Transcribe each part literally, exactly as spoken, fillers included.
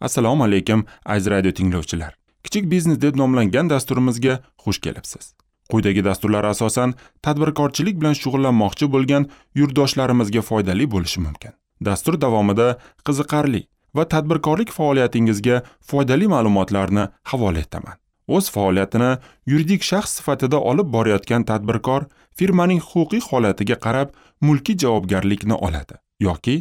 Assalomu alaykum aziz radio tinglovchilar. Kichik biznes deb nomlangan dasturimizga xush kelibsiz. Quyidagi dasturlar asosan tadbirkorchilik bilan shug'ullanmoqchi bo'lgan yurtdoshlarimizga foydali bo'lishi mumkin. Dastur davomida qiziqarli va tadbirkorlik faoliyatingizga foydali ma'lumotlarni havola etaman. O'z faoliyatini yuridik shaxs sifatida olib borayotgan tadbirkor firmaning huquqiy holatiga qarab mulkiy javobgarlikni oladi yoki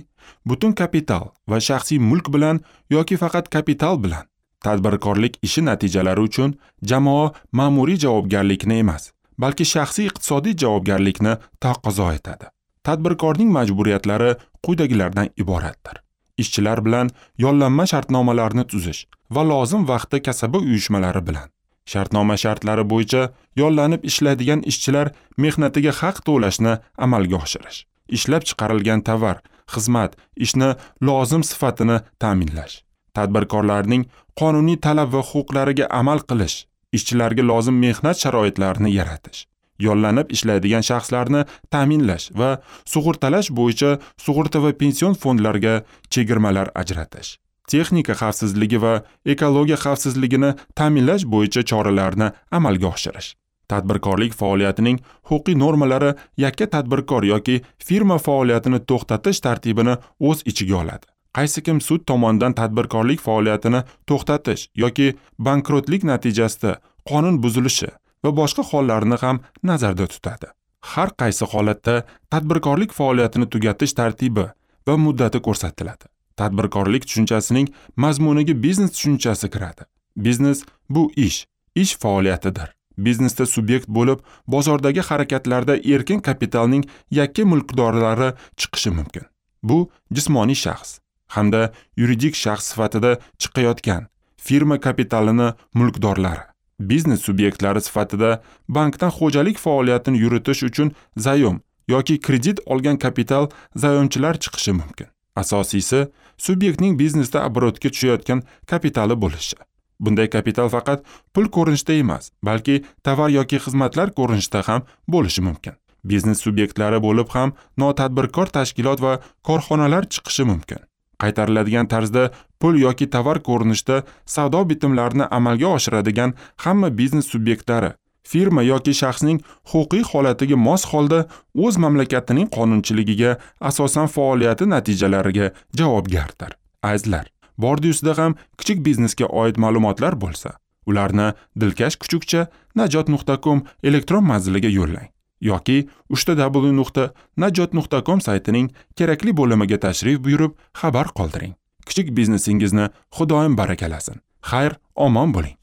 butun kapital va shaxsiy mulk bilan yoki faqat kapital bilan tadbirkorlik ishi natijalari uchun jamoa ma'muriy javobgarlikni emas, balki shaxsiy iqtisodiy javobgarlikni taqozo etadi. Tadbirkorning majburiyatlari quyidagilardan iboratdir. Ishchilar bilan yollanma shartnomalarni tuzish va lozim vaqtda kasaba uyushmalari bilan shartnoma shartlari bo'yicha yollanib ishlaydigan ishchilar mehnatiga haq to'lashni amalga oshirish, ishlab chiqarilgan tovar, xizmat, ishni lozim sifatini ta'minlash, tadbirkorlarning qonuniy talab va huquqlariga amal qilish, ishchilarga lozim mehnat sharoitlarini yaratish, yollanib ishlaydigan shaxslarni ta'minlash va sug'urtalash bo'yicha sug'urta va pension fondlarga chegirmalar ajratish, texnika xavfsizligi va ekologiya xavfsizligini ta'minlash bo'yicha choralarni amalga oshirish. Tadbirkorlik faoliyatining huquqiy normalari yakka tadbirkor yoki firma faoliyatini to'xtatish tartibini o'z ichiga oladi. Qaysi kim sud tomonidan tadbirkorlik faoliyatini to'xtatish yoki bankrotlik natijasida qonun buzilishi va boshqa hollarni ham nazarda tutadi. Har qaysi holatda tadbirkorlik faoliyatini tugatish tartibi va muddati ko'rsatiladi. Tadbirkorlik tushunchasining mazmuniga biznes tushunchasi kiradi. Biznes bu ish, ish faoliyatidir. Biznesda subyekt bo'lib, bozordagi harakatlarda erkin kapitalning yakka mulkdorlari chiqishi mumkin. Bu jismoniy shaxs hamda yuridik shaxs sifatida chiqayotgan firma kapitalini mulkdorlari, biznes subyektlari sifatida bankdan xo'jalik faoliyatini yuritish uchun zayom yoki kredit olgan kapital zayomchilar chiqishi mumkin. Asosiysi, subyektning biznesda oborotga tushayotgan kapitali bo'lishi. Bunday kapital faqat pul ko'rinishida emas, balki tovar yoki xizmatlar ko'rinishida ham bo'lishi mumkin. Biznes subyektlari bo'lib ham notadbirkor tashkilot va korxonalar chiqishi mumkin. Qaytariladigan tarzda pul yoki tovar ko'rinishida savdo bitimlarini amalga oshiradigan hamma biznes subyektlari firma yoki shaxsning huquqiy holatiga mos holda o'z mamlakatining qonunchiligiga asosan faoliyati natijalariga javobgardir. Azizlar, bordi-ustida ham kichik biznesga oid ma'lumotlar bo'lsa, ularni dilkash kuchukcha najot nuqta com elektron manziliga yo'llang yoki uchta w nuqta najot nuqta com saytining kerakli bo'limiga tashrif buyurib xabar qoldiring. Kichik biznesingizni Xudoyim barakalasin. Xayr, omon bo'ling.